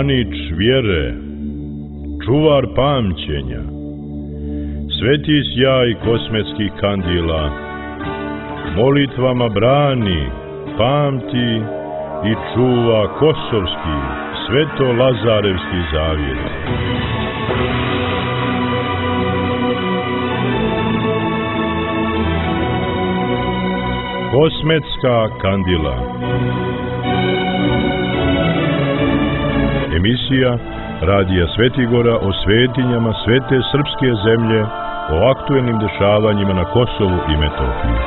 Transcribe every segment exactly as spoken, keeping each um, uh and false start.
branič vjere, čuvar pamćenja, sveti sjaj kosmetskih kandila, molitvama brani, pamti i čuva kosovski, sveto-lazarevski zavjet. Kosmetska kandila. Emisija Radija Svetigora o svetinjama svete srpske zemlje, o aktuelnim dešavanjima na Kosovu i Metohiji.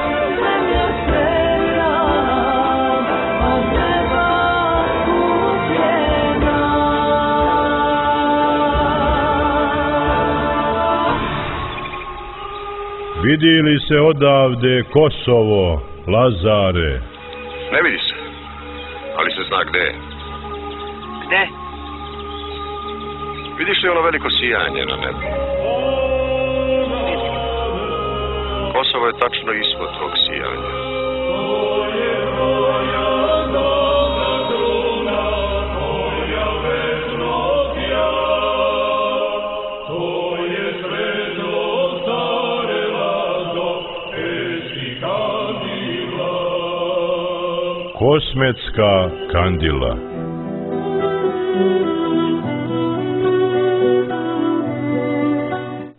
Vidi li se odavde Kosovo, Lazare? Ne vidi se, ali se zna gde je. Gde? Vidiš li ono veliko sijanje na nebu? Kosovo je tačno ispod tog sijanja. Kosmetska kandila.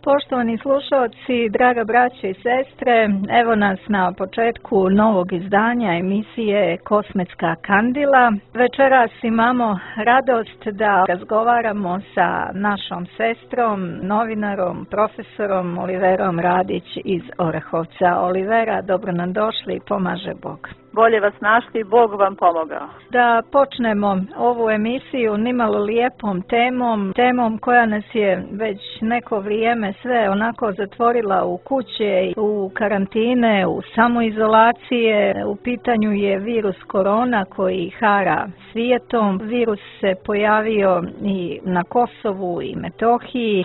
Poštovani slušalci, draga braće i sestre, evo nas na početku novog izdanja emisije Kosmetska kandila. Večeras imamo radost da razgovaramo sa našom sestrom, novinarom, profesorom Oliverom Radić iz Orehovca. Olivera, dobro nam došli, pomaže Bog. Bolje vas našli, Bog vam pomogao. Da počnemo ovu emisiju nimalo lijepom temom, temom koja nas je već neko vrijeme sve onako zatvorila u kuće, u karantine, u samoizolacije. U pitanju je virus korona koji hara svijetom. Virus se pojavio i na Kosovu i Metohiji.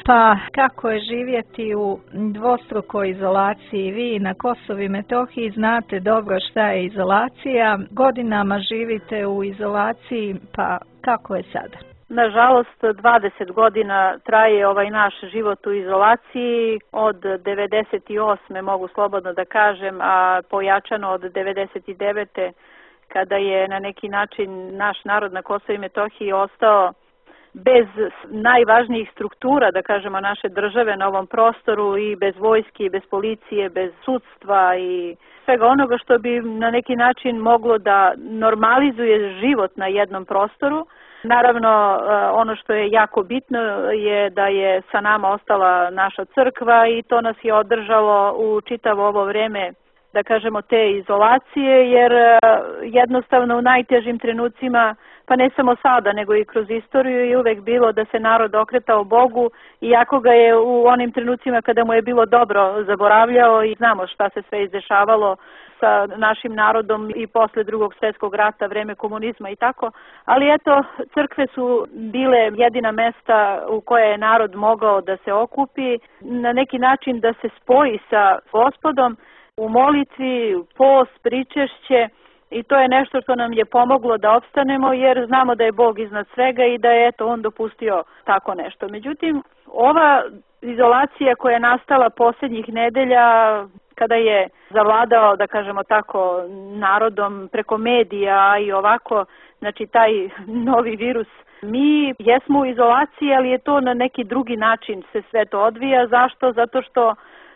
Pa kako je živjeti u dvostrukoj izolaciji? Vi na Kosovu i Metohiji znate dobro šta je izolacija. Godinama živite u izolaciji, pa kako je sada? Nažalost, dvadeset godina traje ovaj naš život u izolaciji. Od devedeset osme mogu slobodno da kažem, a pojačano od devedeset devete kada je na neki način naš narod na Kosovu i Metohiji ostao bez najvažnijih struktura, da kažemo, naše države na ovom prostoru, i bez vojske, i bez policije, bez sudstva i svega onoga što bi na neki način moglo da normalizuje život na jednom prostoru. Naravno, ono što je jako bitno je da je sa nama ostala naša crkva i to nas je održalo u čitavo ovo vreme, da kažemo, te izolacije, jer jednostavno u najtežim trenucima, pa ne samo sada, nego i kroz istoriju, je uvek bilo da se narod okretao Bogu, iako ga je u onim trenucima kada mu je bilo dobro zaboravljao, i znamo šta se sve izdešavalo sa našim narodom i posle drugog svjetskog rata, vreme komunizma i tako. Ali eto, crkve su bile jedina mesta u koje je narod mogao da se okupi, na neki način da se spoji sa Gospodom u molitvi, post, pričešće. I to je nešto što nam je pomoglo da opstanemo, jer znamo da je Bog iznad svega i da je eto On dopustio tako nešto. Međutim, ova izolacija koja je nastala posljednjih nedelja, kada je zavladao, da kažemo tako, narodom preko medija i ovako, znači taj novi virus, mi jesmo u izolaciji, ali je to na neki drugi način se sve to odvija. Zašto? Zato što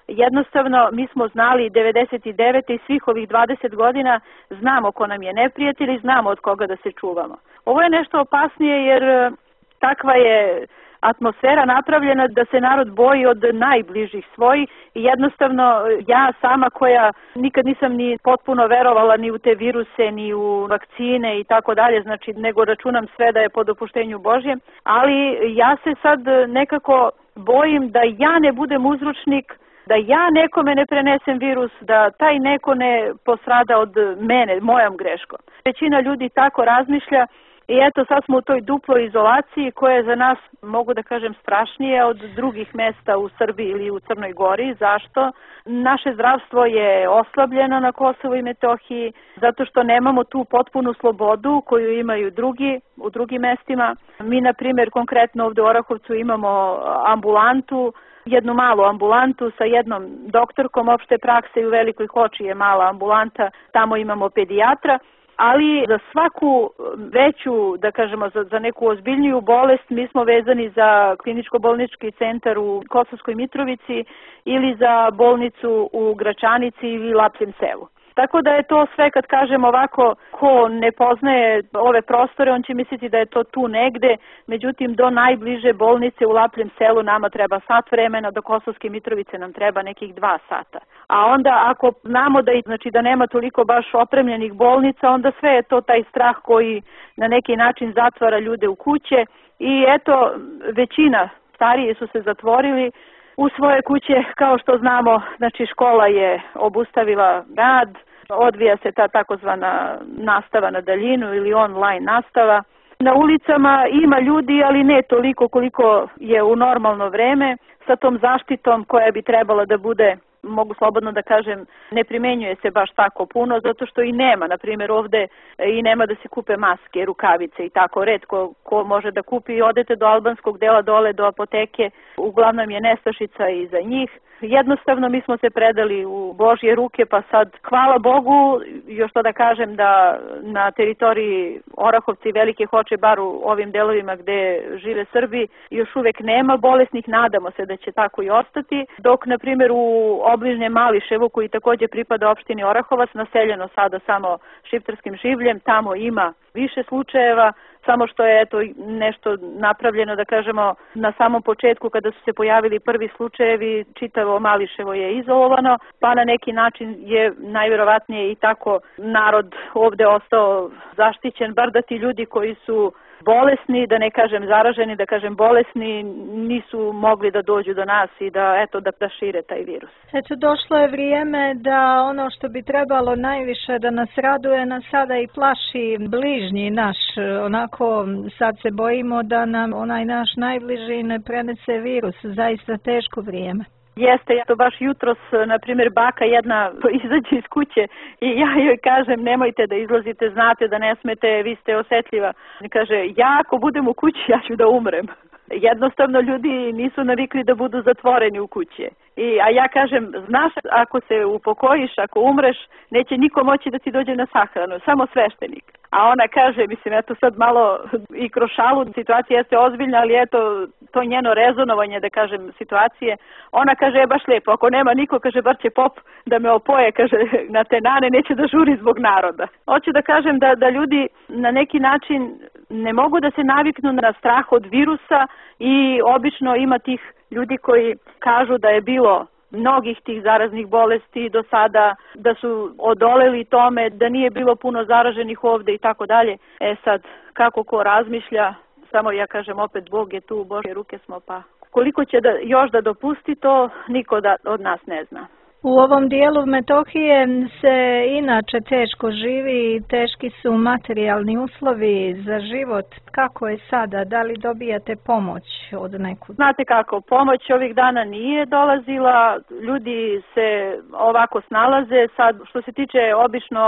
jednostavno mi smo znali devedeset devete i svih ovih dvadeset godina, znamo ko nam je neprijatelj i znamo od koga da se čuvamo. Ovo je nešto opasnije jer takva je atmosfera napravljena da se narod boji od najbližih svojih i jednostavno ja sama, koja nikad nisam ni potpuno verovala ni u te viruse, ni u vakcine i tako dalje, znači nego računam sve da je po dopuštenju Božjem, ali ja se sad nekako bojim da ja ne budem uzročnik, da ja nekome ne prenesem virus, da taj neko ne postrada od mene, mojom greškom. Većina ljudi tako razmišlja I eto, sad smo u toj duploj izolaciji koja je za nas, mogu da kažem, strašnije od drugih mesta u Srbiji ili u Crnoj Gori. Zašto? Naše zdravstvo je oslabljeno na Kosovu i Metohiji, zato što nemamo tu potpunu slobodu koju imaju drugi u drugim mestima. Mi, na primjer, konkretno ovde u Orahovcu imamo ambulantu, jednu malu ambulantu sa jednom doktorkom opšte prakse i u Velikoj Hoči je mala ambulanta, tamo imamo pedijatra. Ali za svaku veću, da kažemo, za, za neku ozbiljniju bolest mi smo vezani za kliničko-bolnički centar u Kosovskoj Mitrovici ili za bolnicu u Gračanici ili Lapljem selu. Tako da je to sve, kad kažem ovako, ko ne poznaje ove prostore, on će misliti da je to tu negde, međutim do najbliže bolnice u Lapljem selu nama treba sat vremena, do Kosovske Mitrovice nam treba nekih dva sata. A onda ako znamo da, znači, da nema toliko baš opremljenih bolnica, onda sve je to taj strah koji na neki način zatvara ljude u kuće i eto, većina stariji su se zatvorili u svoje kuće, kao što znamo, znači škola je obustavila rad, odvija se ta takozvana nastava na daljinu ili online nastava. Na ulicama ima ljudi, ali ne toliko koliko je u normalno vreme, sa tom zaštitom koja bi trebala da bude, mogu slobodno da kažem, ne primenjuje se baš tako puno, zato što i nema, na primjer ovde i nema da se kupe maske, rukavice i tako, retko ko može da kupi. Odete do albanskog dela dole, do apoteke, uglavnom je nestašica i za njih. Jednostavno mi smo se predali u Božje ruke, pa sad, hvala Bogu, još to da kažem da na teritoriji Orahovca i Velike Hoče, bar u ovim delovima gde žive Srbi, još uvek nema bolesnih, nadamo se da će tako i ostati, dok, na primjer, u obližnjem Mališevu, koji takođe pripada opštini Orahovac, naseljeno sada samo šiptarskim življem, tamo ima više slučajeva, samo što je eto nešto napravljeno, da kažemo, na samom početku kada su se pojavili prvi slučajevi, čitavo Mališevo je izolovano, pa na neki način je najverovatnije i tako narod ovde ostao zaštićen, bar da ti ljudi koji su bolesni, da ne kažem zaraženi, da kažem bolesni, nisu mogli da dođu do nas i da, eto, da, da šire taj virus. Eto, došlo je vrijeme da ono što bi trebalo najviše da nas raduje, nas sada i plaši bližnji naš. Onako, sad se bojimo da nam onaj naš najbliži ne prenese virus. Zaista teško vrijeme. Jeste, ja to baš jutros, na primjer, baka jedna izađe iz kuće i ja joj kažem nemojte da izlazite, znate da ne smete, vi ste osetljiva. I kaže, ja ako budem u kući, ja ću da umrem. Jednostavno ljudi nisu navikli da budu zatvoreni u kući. I, a ja kažem, znaš, ako se upokojiš, ako umreš, neće niko moći da ti dođe na sahranu, samo sveštenik. A ona kaže, mislim, eto sad malo i kroz šalu, situacija jeste ozbiljna, ali eto, to njeno rezonovanje, da kažem, situacije, ona kaže, je baš lijepo, ako nema niko, kaže, bar će pop da me opoje, kaže, na te nane, neće da žuri zbog naroda. Hoću da kažem da, da ljudi na neki način ne mogu da se naviknu na strah od virusa i obično ima tih ljudi koji kažu da je bilo mnogih tih zaraznih bolesti do sada, da su odoleli tome, da nije bilo puno zaraženih ovde i tako dalje. E sad, kako ko razmišlja, samo ja kažem opet, Bog je tu, u Božje ruke smo, pa koliko će da, još da dopusti to, niko da, od nas ne zna. U ovom dijelu Metohije se inače teško živi, teški su materijalni uslovi za život. Kako je sada? Da li dobijate pomoć od nekud? Znate kako, pomoć ovih dana nije dolazila, ljudi se ovako snalaze. Sad, što se tiče, obično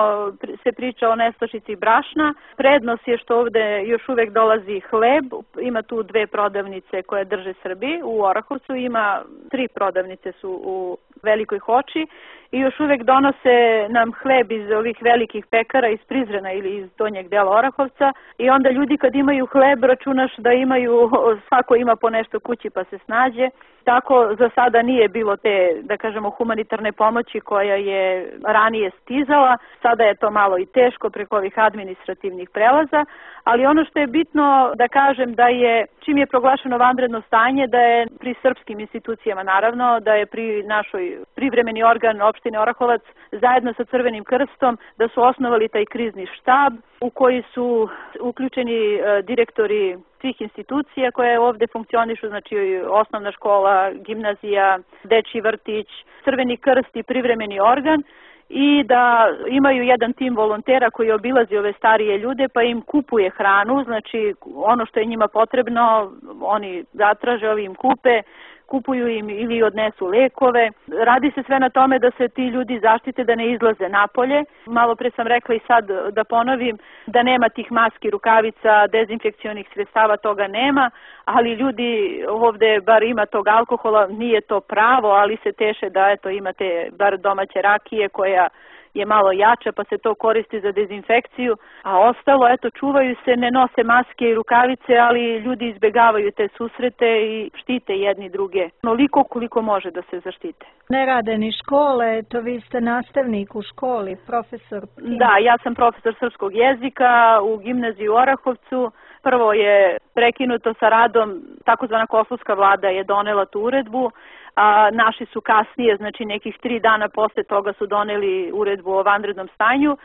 se priča o nestašici brašna. Prednost je što ovde još uvek dolazi hleb, ima tu dve prodavnice koje drže Srbi, u Orahovcu ima tri prodavnice su u Velikoj Hoči i još uvek donose nam hleb iz ovih velikih pekara iz Prizrena ili iz donjeg dela Orahovca i onda ljudi kad imaju hleb računaš da imaju, svako ima po nešto kući pa se snađe. Tako za sada nije bilo te, da kažemo, humanitarne pomoći koja je ranije stizala. Sada je to malo i teško preko ovih administrativnih prelaza, ali ono što je bitno da kažem da je, čim je proglašeno vanredno stanje, da je pri srpskim institucijama naravno, da je pri našoj privremeni organ opštine Orahovac zajedno sa Crvenim krstom, da su osnovali taj krizni štab u koji su uključeni direktori svih institucija koje ovde funkcionišu, znači osnovna škola, gimnazija, dečji vrtić, Crveni krst i privremeni organ. i da imaju jedan tim volontera koji obilazi ove starije ljude pa im kupuje hranu, znači ono što je njima potrebno oni zatraže, ovi im kupe, kupuju im ili odnesu lekove. Radi se sve na tome da se ti ljudi zaštite da ne izlaze napolje. Malo pre sam rekla i sad da ponovim da nema tih maski, rukavica, dezinfekcionih sredstava, toga nema, ali ljudi ovde bar ima tog alkohola, nije to pravo, ali se teše da eto imate bar domaće rakije koja je malo jača pa se to koristi za dezinfekciju, a ostalo, eto, čuvaju se, ne nose maske i rukavice, ali ljudi izbegavaju te susrete i štite jedni druge, onoliko koliko može da se zaštite. Ne rade ni škole, to vi ste nastavnik u školi, profesor. Da, ja sam profesor srpskog jezika u gimnaziji u Orahovcu. Prvo je prekinuto sa radom, takozvana kosovska vlada je donela tu uredbu, a naši su kasnije, znači nekih tri dana posle toga su doneli uredbu o vanrednom stanju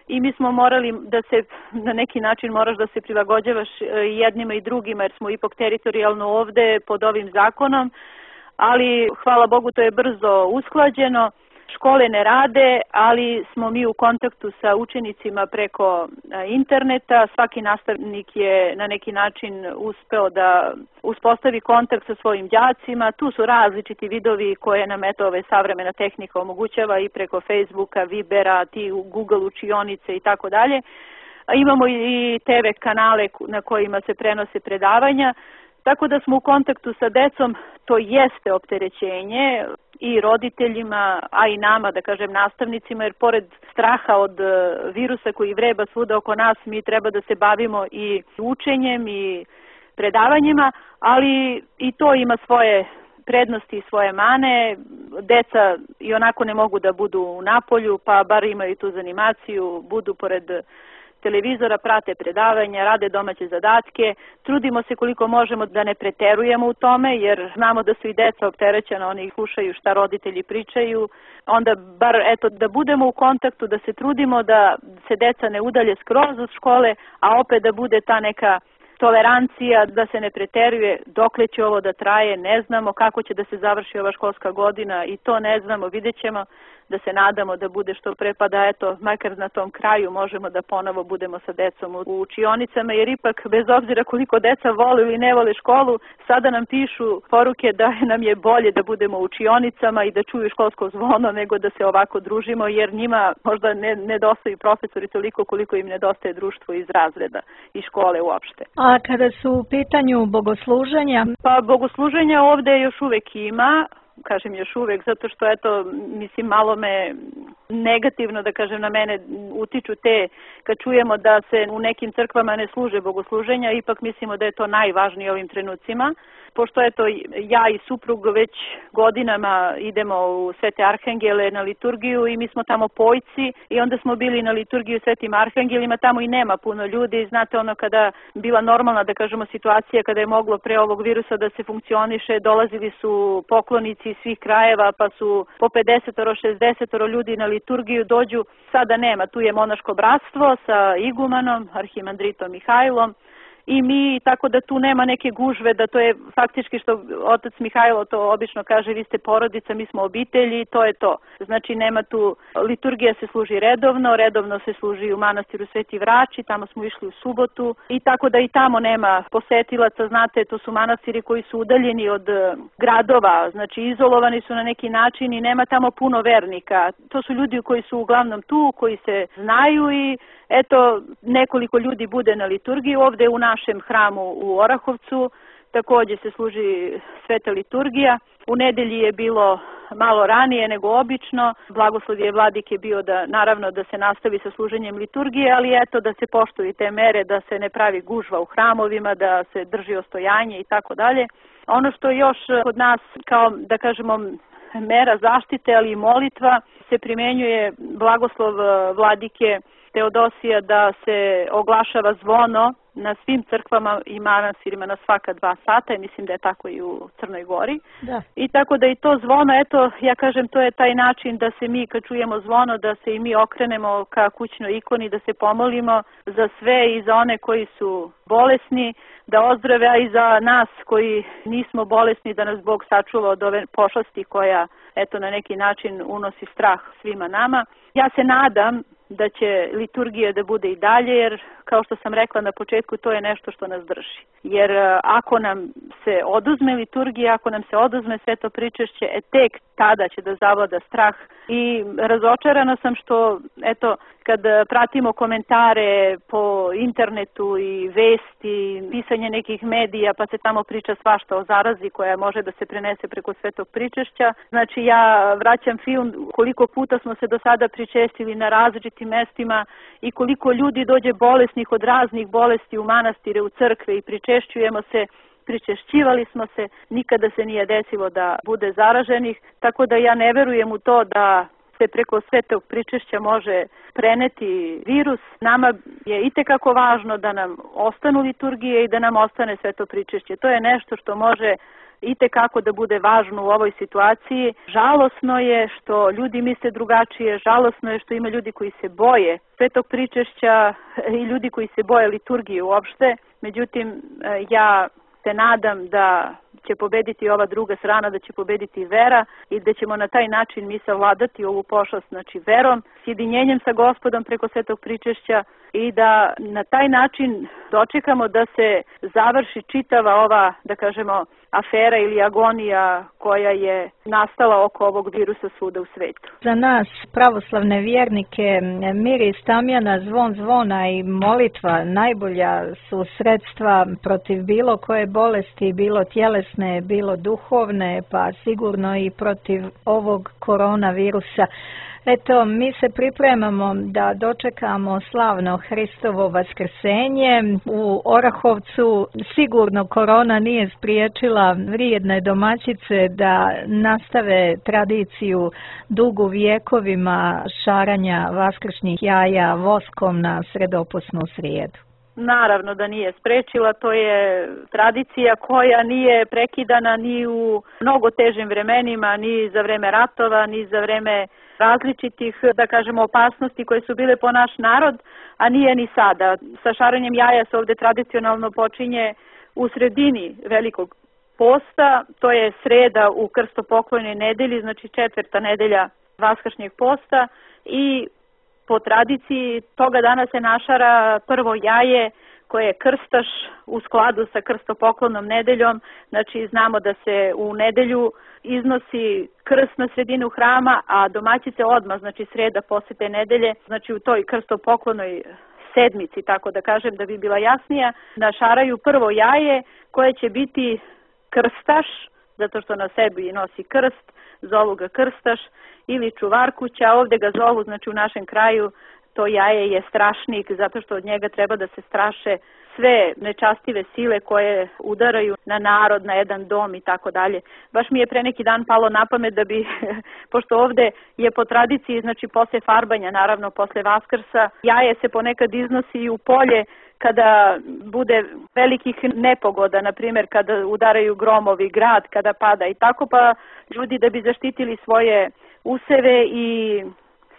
i mi smo morali da se, na neki način moraš da se prilagođavaš jednima i drugima jer smo ipak teritorijalno ovde pod ovim zakonom, ali hvala Bogu to je brzo usklađeno. Škole ne rade, ali smo mi u kontaktu sa učenicima preko interneta. Svaki nastavnik je na neki način uspeo da uspostavi kontakt sa svojim đacima. Tu su različiti vidovi koje nam eto ove savremena tehnika omogućava i preko Facebooka, Vibera, ti Google učionice i tako dalje. Imamo i te ve kanale na kojima se prenose predavanja. Tako da smo u kontaktu sa decom, to jeste opterećenje i roditeljima, a i nama, da kažem, nastavnicima, jer pored straha od virusa koji vreba svuda oko nas, mi treba da se bavimo i učenjem i predavanjima, ali i to ima svoje prednosti i svoje mane. Deca i onako ne mogu da budu u napolju, pa bar imaju tu zanimaciju, budu pored televizora, prate predavanja, rade domaće zadatke. Trudimo se koliko možemo da ne preterujemo u tome, jer znamo da su i deca opterećena, oni slušaju šta roditelji pričaju. Onda bar eto da budemo u kontaktu, da se trudimo da se deca ne udalje skroz od škole, a opet da bude ta neka tolerancija, da se ne preteruje. Dokle će ovo da traje, ne znamo. Kako će da se završi ova školska godina, i to ne znamo, vidjet ćemo. Da se nadamo da bude što pre, pa da eto, makar na tom kraju možemo da ponovo budemo sa decom u učionicama, jer ipak bez obzira koliko deca vole ili ne vole školu, sada nam pišu poruke da nam je bolje da budemo u učionicama i da čuju školsko zvono nego da se ovako družimo, jer njima možda ne nedostaju profesori toliko koliko im nedostaje društvo iz razreda i škole uopšte. A kada su u pitanju bogosluženja? Pa bogosluženja ovde još uvek ima. Kažem još uvek, zato što eto, mislim, malo me negativno, da kažem, na mene utiču te, kad čujemo da se u nekim crkvama ne služe bogosluženja, ipak mislimo da je to najvažnije ovim trenucima. Pošto eto, ja i suprug već godinama idemo u Svete Arhangele na liturgiju i mi smo tamo pojci i onda smo bili na liturgiju Svetim Arhangelima, tamo i nema puno ljudi. Znate, ono kada bila normalna, da kažemo, situacija kada je moglo pre ovog virusa da se funkcioniše, dolazili su poklonici iz svih krajeva, pa su po pedesetoro, šezdesetoro ljudi na liturgiju dođu. Sada nema, tu je monaško bratstvo sa igumanom, arhimandritom Mihajlom, i mi, tako da tu nema neke gužve, da to je faktički što otac Mihajlo to obično kaže, vi ste porodica, mi smo obitelji, to je to. Znači nema tu, liturgija se služi redovno, redovno se služi u manastiru Sveti Vrači, tamo smo išli u subotu i tako da i tamo nema posetilaca, znate, to su manastiri koji su udaljeni od gradova, znači izolovani su na neki način i nema tamo puno vernika. To su ljudi koji su uglavnom tu, koji se znaju i eto, nekoliko ljudi bude na liturgiji. Ovde u našem hramu u Orahovcu takođe se služi sveta liturgija. U nedelji je bilo malo ranije nego obično. Blagoslov je vladike bio da, naravno, da se nastavi sa služenjem liturgije, ali eto da se poštuju te mere, da se ne pravi gužva u hramovima, da se drži ostojanje i tako dalje. Ono što još kod nas, kao da kažemo, mera zaštite, ali i molitva, se primenjuje blagoslov vladike Teodosija da se oglašava zvono na svim crkvama i manastirima na svaka dva sata i mislim da je tako i u Crnoj Gori. Da. I tako da i to zvono, eto, ja kažem, to je taj način da se mi kad čujemo zvono, da se i mi okrenemo ka kućnoj ikoni, da se pomolimo za sve i za one koji su bolesni, da ozdrave, a i za nas koji nismo bolesni, da nas Bog sačuva od ove pošasti koja eto na neki način unosi strah svima nama. Ja se nadam da će liturgija da bude i dalje, jer kao što sam rekla na početku, to je nešto što nas drži. Jer ako nam se oduzme liturgija, ako nam se oduzme sveto pričešće, e, tek tada će da zavlada strah. I razočarana sam što, eto, kad pratimo komentare po internetu i vesti, pisanje nekih medija, pa se tamo priča svašta o zarazi koja može da se prenese preko svetog pričešća. Znači ja vraćam film koliko puta smo se do sada pričestili na različitim mestima i koliko ljudi dođe bolesnih od raznih bolesti u manastire, u crkve i pričešćujemo se. Pričešćivali smo se, nikada se nije desilo da bude zaraženih, tako da ja ne verujem u to da se preko svetog pričešća može preneti virus. Nama je itekako važno da nam ostanu liturgije i da nam ostane sveto pričešće. To je nešto što može itekako da bude važno u ovoj situaciji. Žalosno je što ljudi misle drugačije, žalosno je što ima ljudi koji se boje svetog pričešća i ljudi koji se boje liturgije uopšte. Međutim, ja se nadam da će pobediti ova druga strana, da će pobediti vera i da ćemo na taj način mi savladati ovu pošast, znači verom, sjedinjenjem sa Gospodom preko svetog pričešća i da na taj način dočekamo da se završi čitava ova, da kažemo, afera ili agonija koja je nastala oko ovog virusa svuda u svetu. Za nas, pravoslavne vjernike, miris tamjana, zvon zvona i molitva najbolja su sredstva protiv bilo koje bolesti, bilo tjelesne, bilo duhovne, pa sigurno i protiv ovog koronavirusa. Eto, mi se pripremamo da dočekamo slavno Hristovo vaskrsenje. U Orahovcu sigurno korona nije spriječila vrijedne domaćice da nastave tradiciju dugu vjekovima šaranja vaskršnjih jaja voskom na sredoposnu srijedu. Naravno da nije sprečila, to je tradicija koja nije prekidana ni u mnogo težim vremenima, ni za vreme ratova, ni za vreme različitih, da kažemo, opasnosti koje su bile po naš narod, a nije ni sada. Sa šaranjem jaja se ovdje tradicionalno počinje u sredini velikog posta, to je sreda u krstopoklonoj nedelji, znači četvrta nedelja vaskršnjeg posta i po tradiciji toga dana se našara prvo jaje koje je krstaš u skladu sa krstopoklonom nedeljom. Znači znamo da se u nedelju iznosi krst na sredinu hrama, a domaćice odmah, znači sreda posle te nedelje, znači u toj krstopoklonoj sedmici, tako da kažem da bi bila jasnija, našaraju prvo jaje koje će biti krstaš, zato što na sebi nosi krst, zovu ga krstaš, ili čuvarkuća, ovdje ga zovu, znači u našem kraju to jaje je strašnik, zato što od njega treba da se straše sve nečastive sile koje udaraju na narod, na jedan dom i tako dalje. Baš mi je pre neki dan palo na pamet da bi, pošto ovdje je po tradiciji, znači posle farbanja, naravno posle Vaskrsa, jaje se ponekad iznosi i u polje kada bude velikih nepogoda, na primjer kada udaraju gromovi, grad kada pada i tako, pa ljudi da bi zaštitili svoje useve i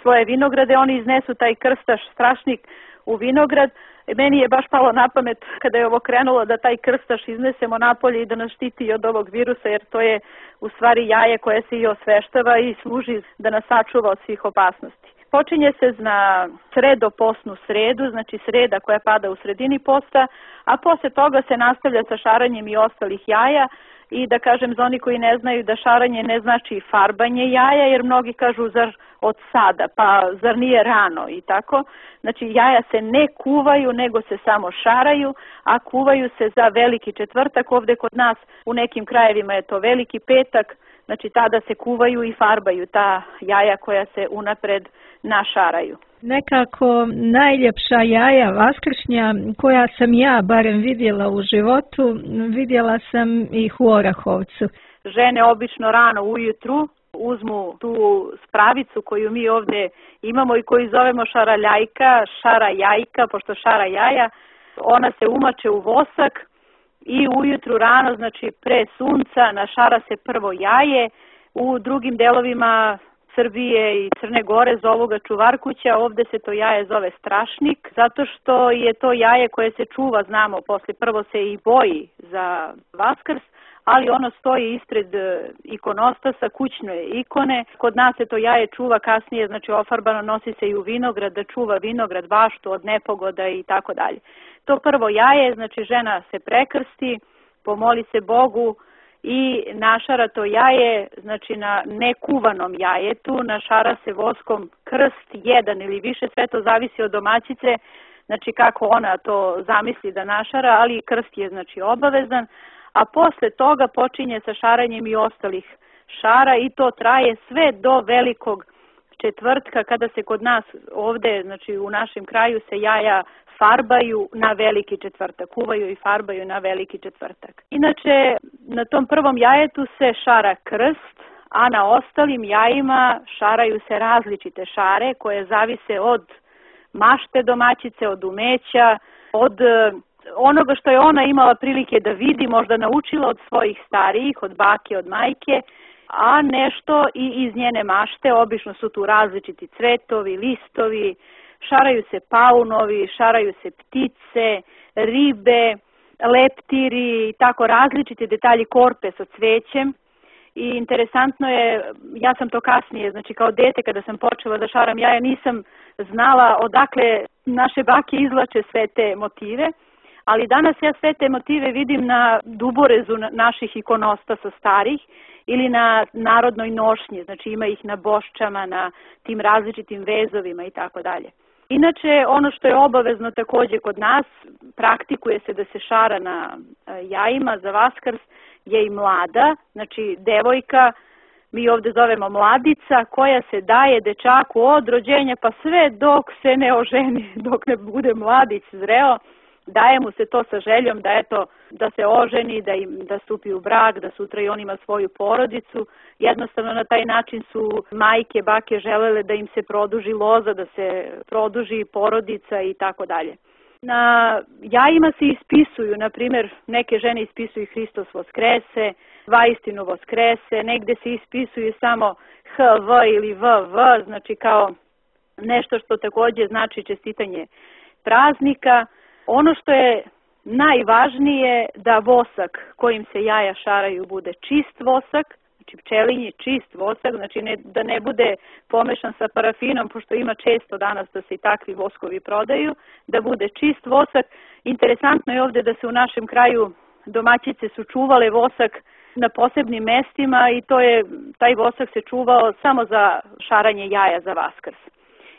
svoje vinograde, oni iznesu taj krstaš strašnik u vinograd. Meni je baš palo na pamet kada je ovo krenulo da taj krstaš iznesemo napolje i da nas štiti od ovog virusa, jer to je u stvari jaje koje se i osveštava i služi da nas sačuva od svih opasnosti. Počinje se na sredoposnu sredu, znači sreda koja pada u sredini posta, a posle toga se nastavlja sa šaranjem i ostalih jaja. I da kažem za oni koji ne znaju da šaranje ne znači farbanje jaja, jer mnogi kažu zar od sada, pa zar nije rano i tako. Znači jaja se ne kuvaju, nego se samo šaraju, a kuvaju se za veliki četvrtak. Ovdje kod nas u nekim krajevima je to veliki petak, znači tada se kuvaju i farbaju ta jaja koja se unapred našaraju. Nekako najljepša jaja vaskršnja koja sam ja barem vidjela u životu, vidjela sam ih u Orahovcu. Žene obično rano ujutru uzmu tu spravicu koju mi ovdje imamo i koju zovemo šaraljajka, šara jajka, pošto šara jaja, ona se umače u vosak i ujutru rano, znači pre sunca, našara se prvo jaje. U drugim delovima Srbije i Crne Gore zovu ga čuvarkuća, ovdje se to jaje zove strašnik, zato što je to jaje koje se čuva, znamo, posle prvo se i boji za Vaskrs, ali ono stoji ispred ikonostasa, kućne ikone. Kod nas se to jaje čuva kasnije, znači ofarbano, nosi se i u vinograd, da čuva vinograd, baštu od nepogoda i tako dalje. To prvo jaje, znači žena se prekrsti, pomoli se Bogu i našara to jaje, znači na nekuvanom jajetu, našara se voskom krst, jedan ili više, sve to zavisi od domaćice, znači kako ona to zamisli da našara, ali krst je znači obavezan, a posle toga počinje sa šaranjem i ostalih šara i to traje sve do velikog četvrtka, kada se kod nas ovde, znači u našem kraju se jaja farbaju na veliki četvrtak, kuvaju i farbaju na veliki četvrtak. Inače, na tom prvom jajetu se šara krst, a na ostalim jajima šaraju se različite šare koje zavise od mašte domaćice, od umeća, od onoga što je ona imala prilike da vidi, možda naučila od svojih starijih, od bake, od majke, a nešto i iz njene mašte. Obično su tu različiti cvetovi, listovi, šaraju se paunovi, šaraju se ptice, ribe, leptiri i tako različiti detalji, korpe sa cvećem. I interesantno je, ja sam to kasnije, znači kao dete kada sam počela da šaram jaja, nisam znala odakle naše bake izvlače sve te motive, ali danas ja sve te motive vidim na duborezu naših ikonostasa starih ili na narodnoj nošnji, znači ima ih na boščama, na tim različitim vezovima i tako dalje. Inače, ono što je obavezno takođe kod nas, praktikuje se da se šara na jajima za Vaskrs, je i mlada, znači devojka, mi ovde zovemo mladica, koja se daje dečaku od rođenja pa sve dok se ne oženi, dok ne bude mladić zreo, daje mu se to sa željom da eto, da se oženi, da im da stupi u brak, da sutra i on ima svoju porodicu. Jednostavno na taj način su majke, bake želele da im se produži loza, da se produži porodica i tako dalje. Na jajima se ispisuju, na primjer, neke žene ispisuju Hristos Voskrese, Vaistinu Voskrese, negde se ispisuju samo H V ili V V, znači kao nešto što takođe znači čestitanje praznika. Ono što je najvažnije da vosak kojim se jaja šaraju bude čist vosak, znači pčelinji čist vosak, znači ne, da ne bude pomešan sa parafinom, pošto ima često danas da se i takvi voskovi prodaju, da bude čist vosak. Interesantno je ovde da se u našem kraju domaćice su čuvale vosak na posebnim mestima i to je, taj vosak se čuvao samo za šaranje jaja za Vaskrs.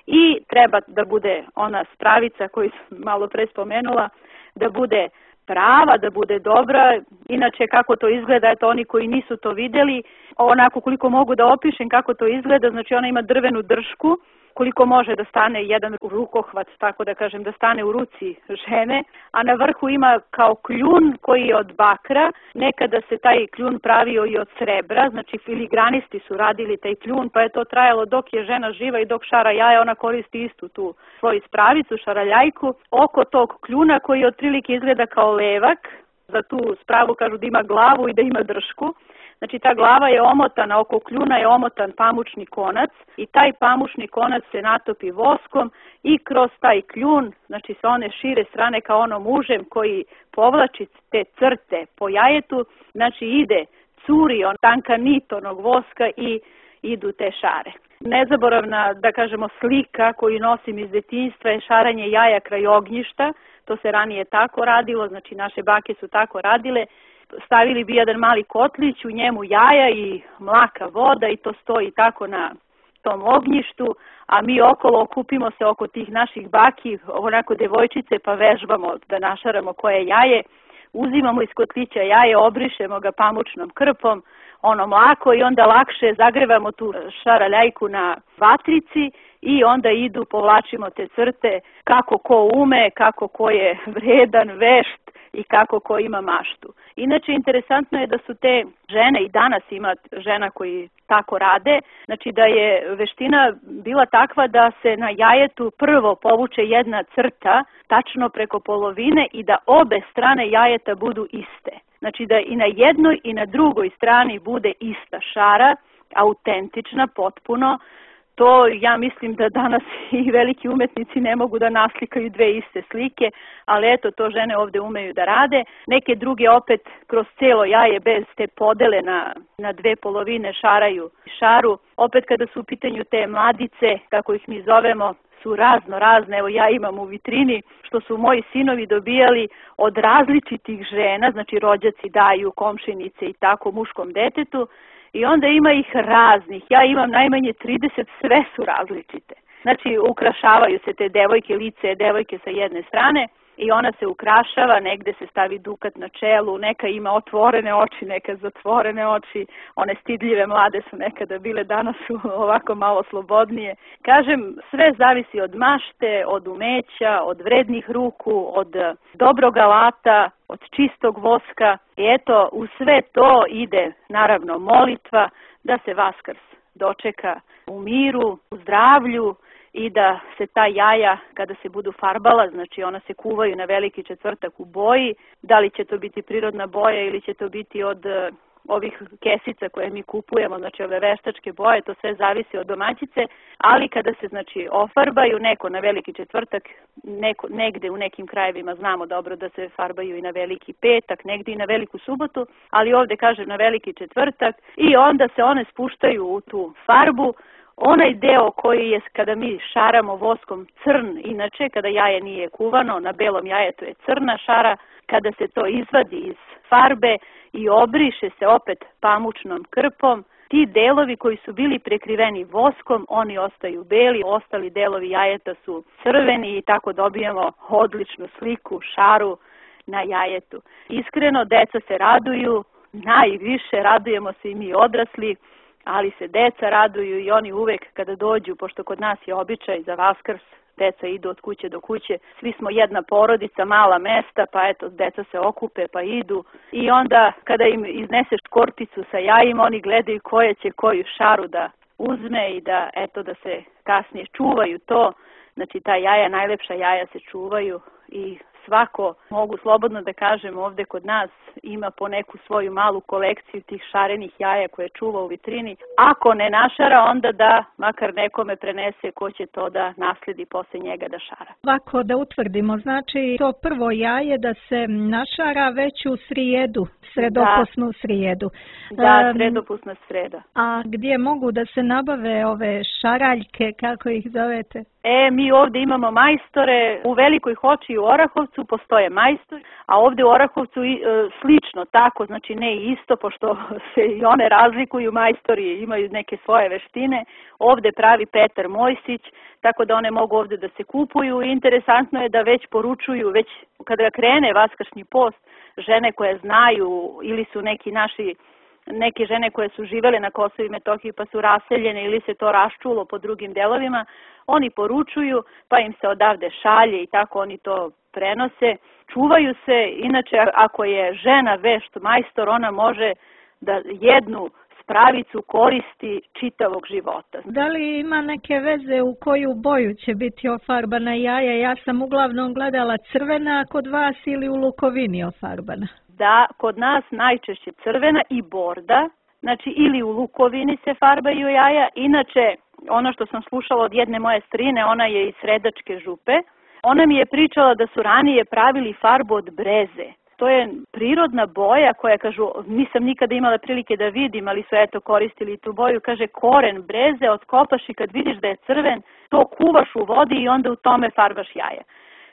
I treba da bude ona spravica koju sam malo pre spomenula, da bude prava, da bude dobra. Inače kako to izgleda, eto oni koji nisu to videli, onako koliko mogu da opišem kako to izgleda, znači ona ima drvenu dršku, koliko može da stane jedan rukohvat, tako da kažem, da stane u ruci žene, a na vrhu ima kao kljun koji je od bakra, nekada se taj kljun pravio i od srebra, znači filigranisti su radili taj kljun, pa je to trajalo dok je žena živa i dok šara jaja, ona koristi istu tu svoju spravicu, šaraljajku, oko tog kljuna koji otprilike izgleda kao levak, za tu spravu kažu da ima glavu i da ima dršku. Znači ta glava je omotana, oko kljuna je omotan pamučni konac i taj pamučni konac se natopi voskom i kroz taj kljun, znači sa one šire strane kao onom užem koji povlači te crte po jajetu, znači ide, curi on tanka nit onog voska i idu te šare. Nezaboravna, da kažemo, slika koju nosim iz detinjstva je šaranje jaja kraj ognjišta, to se ranije tako radilo, znači naše bake su tako radile. Stavili bi jedan mali kotlić, u njemu jaja i mlaka voda i to stoji tako na tom ognjištu, a mi okolo okupimo se oko tih naših baki, onako devojčice, pa vežbamo da našaramo koje jaje, uzimamo iz kotlića jaje, obrišemo ga pamučnom krpom, ono mlako i onda lakše zagrevamo tu šaraljajku na vatrici i onda idu, povlačimo te crte kako ko ume, kako ko je vredan, vešt i kako ko ima maštu. Inače, interesantno je da su te žene, i danas ima žena koji tako rade, znači da je veština bila takva da se na jajetu prvo povuče jedna crta, tačno preko polovine i da obe strane jajeta budu iste. Znači da i na jednoj i na drugoj strani bude ista šara, autentična, potpuno. To ja mislim da danas i veliki umetnici ne mogu da naslikaju dve iste slike, ali eto, to žene ovde umeju da rade. Neke druge opet kroz celo jaje bez te podele na, na dve polovine šaraju šaru. Opet kada su u pitanju te mladice, kako ih mi zovemo, su razno razne. Evo ja imam u vitrini što su moji sinovi dobijali od različitih žena, znači rođaci daju, komšinice i tako muškom detetu. I onda ima ih raznih. Ja imam najmanje trideset, sve su različite. Znači, ukrašavaju se te devojke, lice devojke sa jedne strane i ona se ukrašava, negde se stavi dukat na čelu, neka ima otvorene oči, neka zatvorene oči, one stidljive mlade su nekada bile, danas su ovako malo slobodnije. Kažem, sve zavisi od mašte, od umeća, od vrednih ruku, od dobrog alata, od čistog voska. I eto, u sve to ide naravno molitva da se Vaskrs dočeka u miru, u zdravlju i da se ta jaja kada se budu farbala, znači ona se kuvaju na veliki četvrtak u boji, da li će to biti prirodna boja ili će to biti od ovih kesica koje mi kupujemo, znači ove veštačke boje, to sve zavisi od domaćice, ali kada se znači ofarbaju neko na veliki četvrtak, neko, negde u nekim krajevima znamo dobro da se farbaju i na veliki petak, negde i na veliku subotu, ali ovde kažem na veliki četvrtak i onda se one spuštaju u tu farbu. Onaj deo koji je kada mi šaramo voskom crn, inače kada jaje nije kuvano, na belom jajetu je crna šara, kada se to izvadi iz farbe i obriše se opet pamučnom krpom, ti delovi koji su bili prekriveni voskom, oni ostaju beli, ostali delovi jajeta su crveni i tako dobijemo odličnu sliku, šaru na jajetu. Iskreno, deca se raduju, najviše radujemo se i mi odrasli, ali se deca raduju i oni uvek kada dođu, pošto kod nas je običaj za Vaskrs, deca idu od kuće do kuće, svi smo jedna porodica, mala mesta, pa eto, deca se okupe pa idu i onda kada im izneseš korticu sa jajima, oni gledaju koja će koju šaru da uzme i da, eto, da se kasnije čuvaju to, znači ta jaja, najlepša jaja se čuvaju i svako, mogu slobodno da kažem, ovde kod nas ima po neku svoju malu kolekciju tih šarenih jaja koje čuva u vitrini. Ako ne našara, onda da makar nekome prenese ko će to da nasledi posle njega da šara. Ovako da utvrdimo, znači to prvo jaje da se našara već u srijedu, sredopusnu da. srijedu. Da, sredopusna sreda. A gdje mogu da se nabave ove šaraljke, kako ih zovete? E, mi ovde imamo majstore, u Velikoj Hoči i u Orahovcu postoje majstori, a ovde u Orahovcu i, e, slično tako, znači ne isto, pošto se i one razlikuju, majstori imaju neke svoje veštine. Ovde pravi Petar Mojsić, tako da one mogu ovde da se kupuju. Interesantno je da već poručuju, već kada krene Vaskršnji post, žene koje znaju ili su neki naši neke žene koje su živele na Kosovu i Metohiji pa su raseljene ili se to raščulo po drugim delovima, oni poručuju pa im se odavde šalje i tako oni to prenose. Čuvaju se, inače ako je žena vešt majstor, ona može da jednu spravicu koristi čitavog života. Da li ima neke veze u koju boju će biti ofarbana jaja? Ja sam uglavnom gledala crvena kod vas ili u lukovini ofarbana. Da, kod nas najčešće crvena i borda, znači ili u lukovini se farbaju jaja, inače ono što sam slušala od jedne moje strine, ona je iz Sredačke župe, ona mi je pričala da su ranije pravili farbu od breze. To je prirodna boja koja, kažu, nisam nikada imala prilike da vidim, ali su eto koristili tu boju, kaže koren breze otkopaš i kad vidiš da je crven, to kuvaš u vodi i onda u tome farbaš jaja.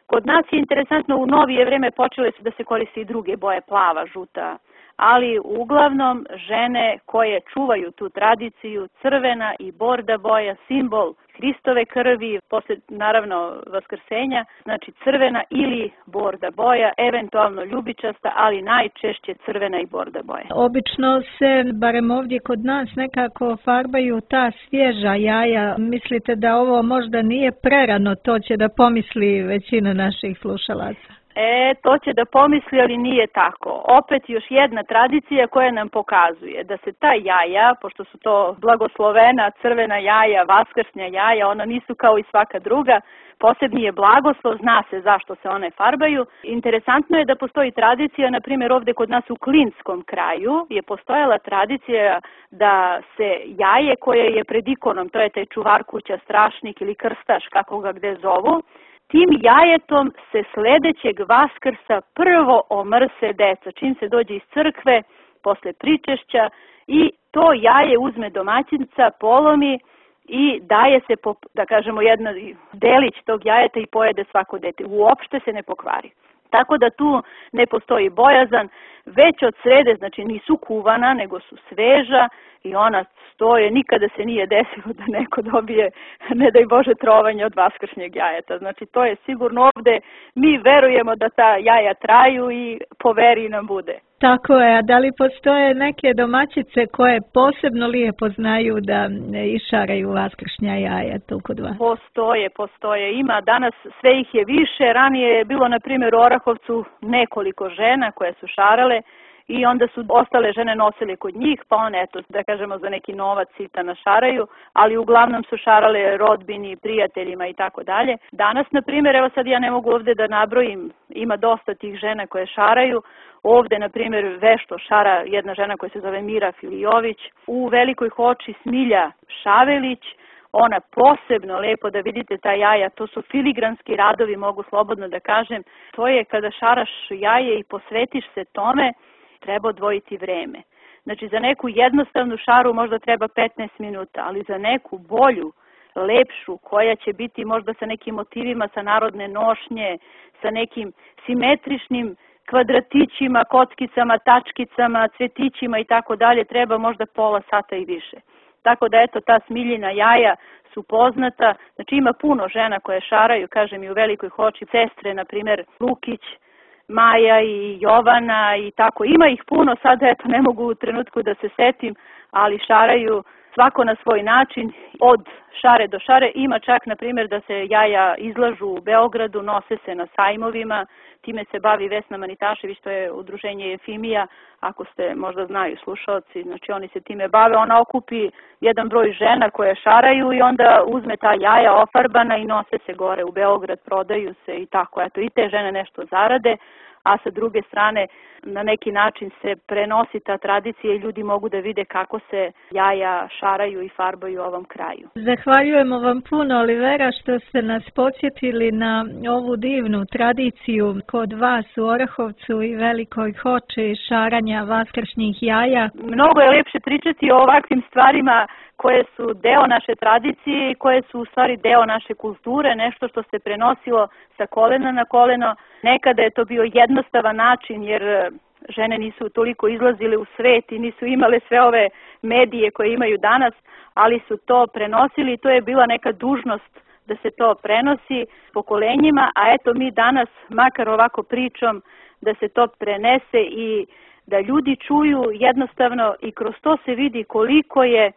Kod nas je interesantno, u novije vreme počele su da se koriste i druge boje, plava, žuta, ali uglavnom žene koje čuvaju tu tradiciju, crvena i borda boja, simbol Hristove krvi, posle naravno vaskrsenja, znači crvena ili borda boja, eventualno ljubičasta, ali najčešće crvena i borda boja. Obično se, barem ovdje kod nas, nekako farbaju ta svježa jaja. Mislite da ovo možda nije prerano, to će da pomisli većina naših slušalaca? E, to će da pomisli, ali nije tako. Opet još jedna tradicija koja nam pokazuje da se ta jaja, pošto su to blagoslovena crvena jaja, vaskršnja jaja, ona nisu kao i svaka druga, posebni je blagoslov, zna se zašto se one farbaju. Interesantno je da postoji tradicija, na primjer ovde kod nas u Klinskom kraju je postojala tradicija da se jaje koje je pred ikonom, to je taj čuvar kuća, strašnik ili krstaš, kako ga gde zovu, tim jajetom se sledećeg Vaskrsa prvo omrse deca, čim se dođe iz crkve, posle pričešća, i to jaje uzme domaćinica, polomi i daje se, po, da kažemo, jedna delić tog jajeta i pojede svako dete. Uopšte se ne pokvari. Tako da tu ne postoji bojazan, već od srede, znači nisu kuvana, nego su sveža i ona stoje, nikada se nije desilo da neko dobije, ne daj Bože, trovanje od vaskršnjeg jajeta. Znači to je sigurno ovde, mi verujemo da ta jaja traju i po veri nam bude. Tako je, a da li postoje neke domaćice koje posebno lijepo znaju da išaraju vaskršnja jaja tu kod vas? Postoje, postoje. Ima danas, sve ih je više. Ranije je bilo, na primjer, u Orahovcu nekoliko žena koje su šarale i onda su ostale žene nosile kod njih, pa one, eto, da kažemo, za neki novac sita našaraju, ali uglavnom su šarale rodbini, prijateljima i tako dalje. Danas, na primjer, evo sad ja ne mogu ovde da nabrojim, ima dosta tih žena koje šaraju. Ovde, na primjer, vešto šara jedna žena koja se zove Mira Filijović, u Velikoj Hoči Smilja Šavelić, ona posebno lepo, da vidite ta jaja, to su filigranski radovi, mogu slobodno da kažem, to je kada šaraš jaje i posvetiš se tome, treba odvojiti vreme. Znači za neku jednostavnu šaru možda treba petnaest minuta, ali za neku bolju, lepšu, koja će biti možda sa nekim motivima sa narodne nošnje, sa nekim simetričnim kvadratićima, kockicama, tačkicama, cvetićima i tako dalje, treba možda pola sata i više. Tako da eto, ta Smiljina jaja su poznata, znači ima puno žena koje šaraju, kažem i u Velikoj Hoči, sestre, na primjer Lukić, Maja i Jovana i tako, ima ih puno, sad eto ne mogu u trenutku da se setim, ali šaraju svako na svoj način, od šare do šare. Ima čak, na primjer, da se jaja izlažu u Beogradu, nose se na sajmovima, time se bavi Vesna Manitašević, to je udruženje Efimija, ako ste možda znaju slušalci, znači oni se time bave, ona okupi jedan broj žena koje šaraju i onda uzme ta jaja ofarbana i nose se gore u Beograd, prodaju se i tako, eto i te žene nešto zarade, a sa druge strane na neki način se prenosi ta tradicija i ljudi mogu da vide kako se jaja šaraju i farbaju u ovom kraju. Zahvaljujemo vam puno, Olivera, što ste nas podsjetili na ovu divnu tradiciju kod vas u Orahovcu i Velikoj Hoči šaranja vaskršnjih jaja. Mnogo je lepše pričati o ovakvim stvarima koje su deo naše tradicije i koje su u stvari deo naše kulture, nešto što se prenosilo sa kolena na koleno. Nekada je to bio jednostavan način jer žene nisu toliko izlazile u svet i nisu imale sve ove medije koje imaju danas, ali su to prenosili i to je bila neka dužnost da se to prenosi pokolenjima, a eto mi danas, makar ovako pričom, da se to prenese i da ljudi čuju jednostavno i kroz to se vidi koliko je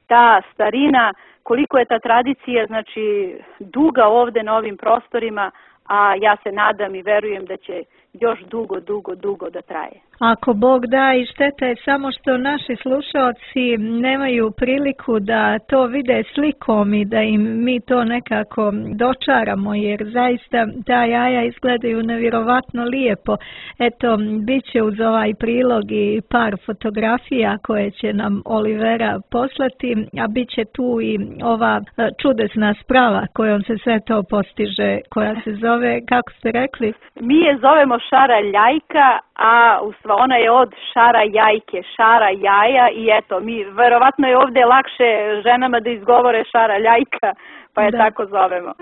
ta starina, koliko je ta tradicija, znači, duga ovde na ovim prostorima, a ja se nadam i verujem da će još dugo, dugo, dugo da traje. Ako Bog da, i šteta je samo što naši slušalci nemaju priliku da to vide slikom i da im mi to nekako dočaramo, jer zaista ta jaja izgledaju nevjerovatno lijepo. Eto, bit će uz ovaj prilog i par fotografija koje će nam Olivera poslati, a bit će tu i ova čudesna sprava kojom se sve to postiže, koja se zove, kako ste rekli? Mi je zovemo šara ljajka, a u stvari ona je od šara jajke, šara jaja i eto, mi verovatno je ovde lakše ženama da izgovore šara ljajka, pa je da. Tako zovemo.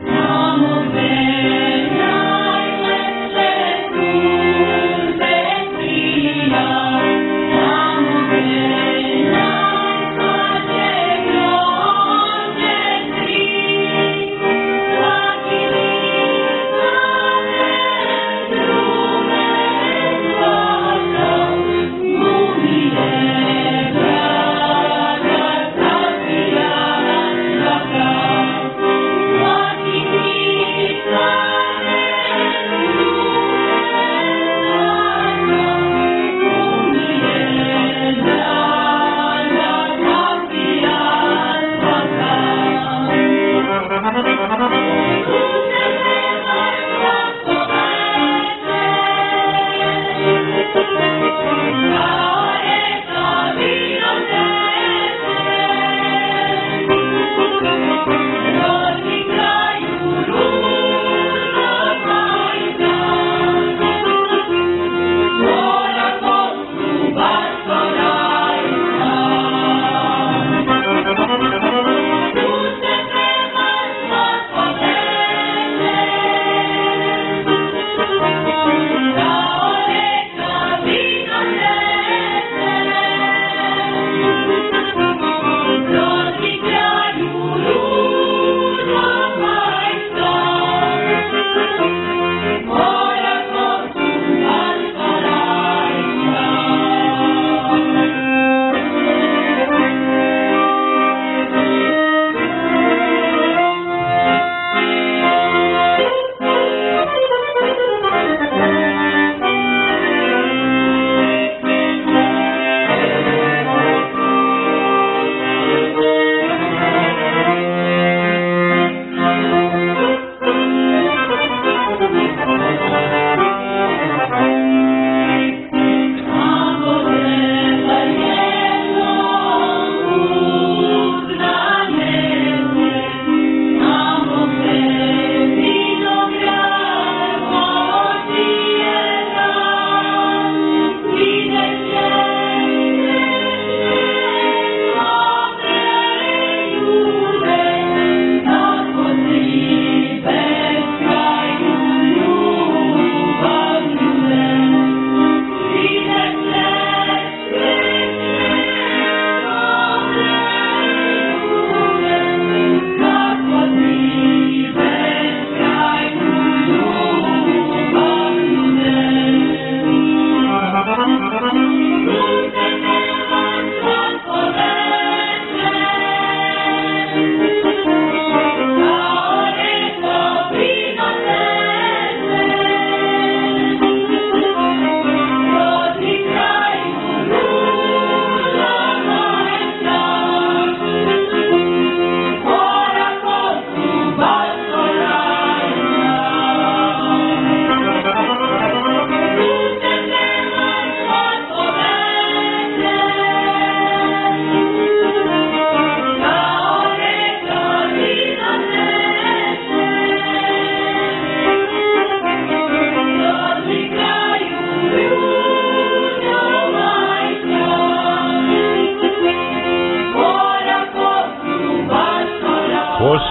Now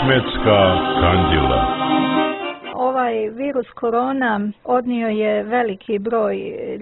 Ismetska kandila. Ovaj virus korona odnio je veliki broj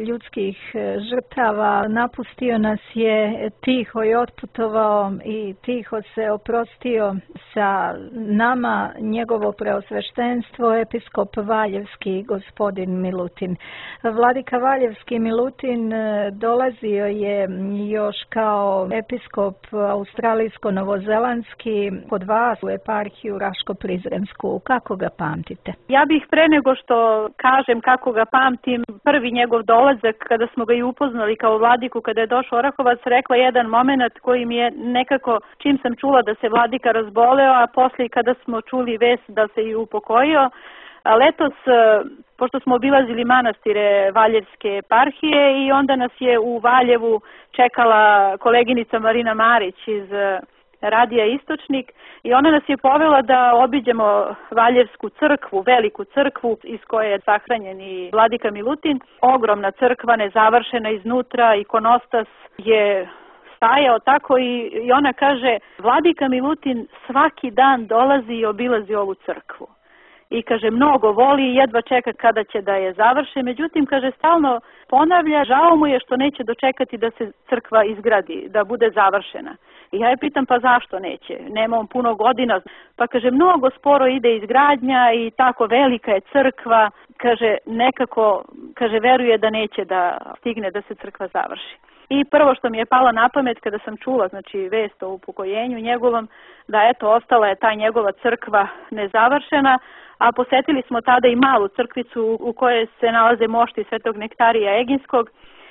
ljudskih žrtava, napustio nas je, tiho je otputovao i tiho se oprostio sa nama njegovo preosveštenstvo episkop Valjevski gospodin Milutin. Vladika Valjevski Milutin dolazio je još kao episkop australijsko-novozelandski kod vas u eparhiju Raško-Prizrensku. Kako ga pamtite? Ja bih pre nego što kažem kako ga pamtim, prvi njegov dolazak kada smo ga i upoznali kao vladiku, kada je došao Orahovac, rekla jedan moment koji mi je nekako, čim sam čula da se vladika razboleo, a poslije kada smo čuli vest da se i upokojio, letos, pošto smo obilazili manastire Valjevske eparhije i onda nas je u Valjevu čekala koleginica Marina Marić iz Radija Istočnik i ona nas je povela da obiđemo Valjevsku crkvu, veliku crkvu iz koje je sahranjen i vladika Milutin. Ogromna crkva, nezavršena iznutra, ikonostas je stajao tako i, i ona kaže, vladika Milutin svaki dan dolazi i obilazi ovu crkvu. I kaže, mnogo voli i jedva čeka kada će da je završe, međutim, kaže, stalno ponavlja, žao mu je što neće dočekati da se crkva izgradi, da bude završena. I ja je pitam, pa zašto neće? Nema on puno godina. Pa kaže, mnogo sporo ide izgradnja i tako velika je crkva. Kaže, nekako, kaže, veruje da neće da stigne da se crkva završi. I prvo što mi je palo na pamet kada sam čula, znači, vest o upokojenju njegovom, da eto, ostala je ta njegova crkva nezavršena, a posetili smo tada i malu crkvicu u kojoj se nalaze mošti Svetog Nektarija Eginskog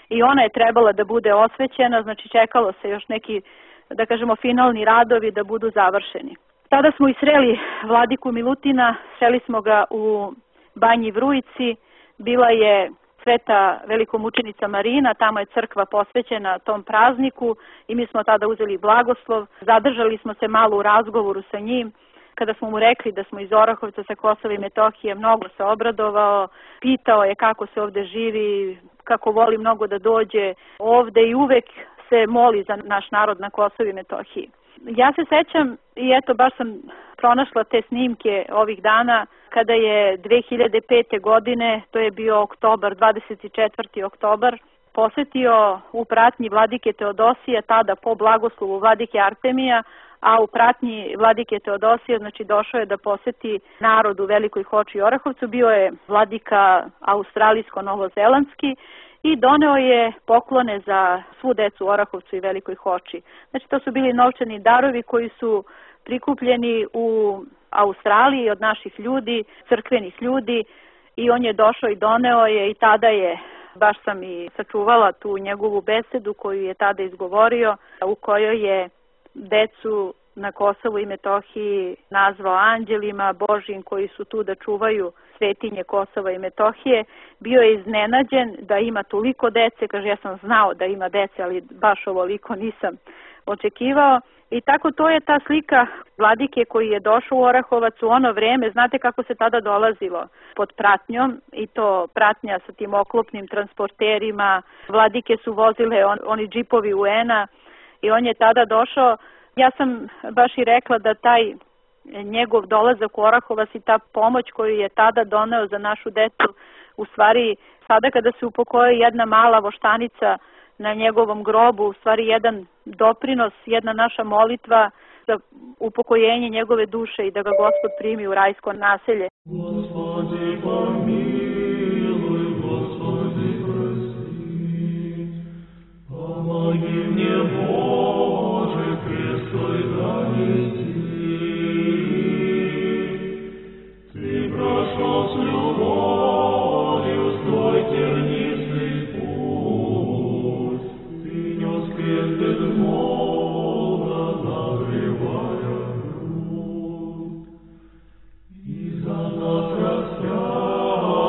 i ona je trebala da bude osvećena, znači čekalo se još neki, da kažemo, finalni radovi da budu završeni. Tada smo i sreli vladiku Milutina, sreli smo ga u Banji Vrujici, bila je Sveta velikomučenica Marina, tamo je crkva posvećena tom prazniku i mi smo tada uzeli blagoslov, zadržali smo se malo u razgovoru sa njim. Kada smo mu rekli da smo iz Orahovca sa Kosova i Metohije, mnogo se obradovao, pitao je kako se ovde živi, kako voli mnogo da dođe ovde i uvek se moli za naš narod na Kosovu i Metohiji. Ja se sećam i eto baš sam pronašla te snimke ovih dana kada je dve hiljade pete. godine, to je bio oktobar, dvadeset četvrti oktobar, posetio u pratnji vladike Teodosija, tada po blagoslovu vladike Artemija, a u pratnji vladike Teodosija, znači došao je da poseti narod u Velikoj Hoči i Orahovcu, bio je vladika australijsko-novozelandski i doneo je poklone za svu decu u Orahovcu i Velikoj Hoči. Znači to su bili novčani darovi koji su prikupljeni u Australiji od naših ljudi, crkvenih ljudi i on je došao i doneo je i tada je, baš sam i sačuvala tu njegovu besedu koju je tada izgovorio, u kojoj je decu na Kosovu i Metohiji nazvao anđelima Božjim koji su tu da čuvaju svetinje Kosova i Metohije. Bio je iznenađen da ima toliko dece, kaže ja sam znao da ima dece, ali baš ovoliko nisam očekivao. I tako to je ta slika vladike koji je došao u Orahovac u ono vreme, znate kako se tada dolazilo pod pratnjom i to pratnja sa tim oklopnim transporterima, vladike su vozile on, oni džipovi U N-a i on je tada došao. Ja sam baš i rekla da taj njegov dolazak u Orahovac i ta pomoć koju je tada doneo za našu decu, u stvari sada kada se upokoji jedna mala voštanica na njegovom grobu, u stvari jedan doprinos, jedna naša molitva za upokojenje njegove duše i da ga Gospod primi u rajsko naselje. Gospodi pomiluj, Gospodi prosti, pomogi mnie Bože Hristoj zanesti, Ti prošao s ljubovju svoj tjernistý put, Ti njo skrested moga nagrivaja grud, I za nas rastjaja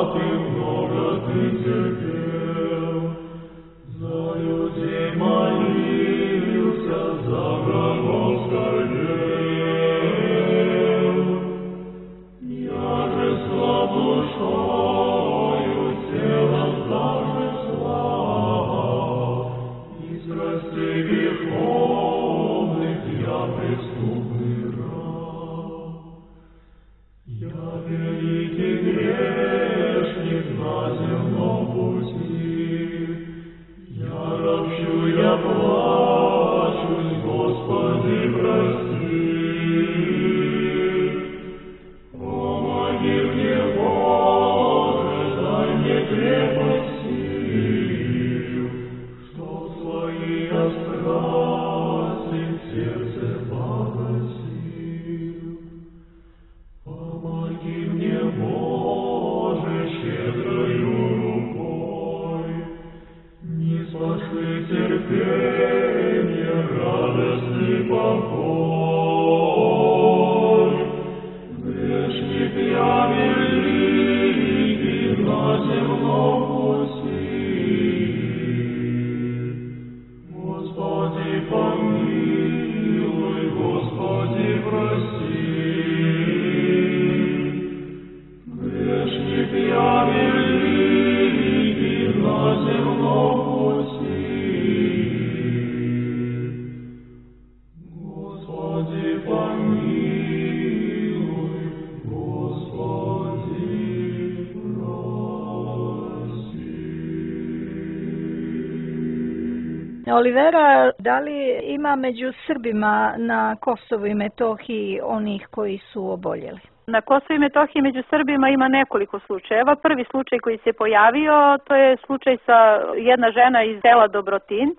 Olivera, da li ima među Srbima na Kosovu i Metohiji onih koji su oboljeli? Na Kosovu i Metohiji među Srbima ima nekoliko slučajeva. Prvi slučaj koji se pojavio, to je slučaj sa jedna žena iz sela Dobrotin.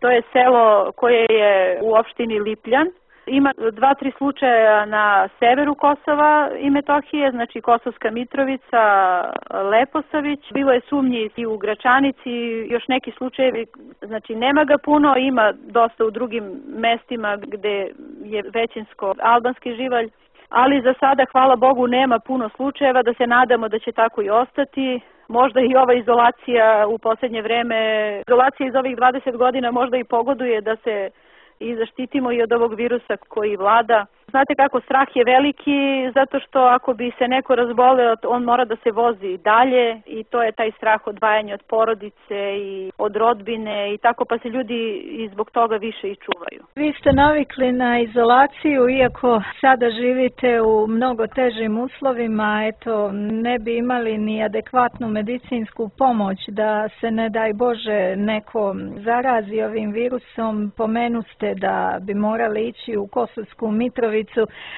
To je selo koje je u opštini Lipljan. Ima dva, tri slučaja na severu Kosova i Metohije, znači Kosovska Mitrovica, Leposavić. Bilo je sumnji i u Gračanici, još neki slučajevi, znači nema ga puno, ima dosta u drugim mestima gde je većinsko albanski živalj. Ali za sada, hvala Bogu, nema puno slučajeva, da se nadamo da će tako i ostati. Možda i ova izolacija u posljednje vreme, izolacija iz ovih dvadeset godina možda i pogoduje da se i zaštitimo i od ovog virusa koji vlada. Znate kako, strah je veliki, zato što ako bi se neko razboleo, on mora da se vozi dalje i to je taj strah odvajanja od porodice i od rodbine i tako, pa se ljudi i zbog toga više i čuvaju. Vi ste navikli na izolaciju, iako sada živite u mnogo težim uslovima, eto, ne bi imali ni adekvatnu medicinsku pomoć da se, ne daj Bože, neko zarazi ovim virusom. Pomenuste da bi morali ići u Kosovsku Mitrovicu,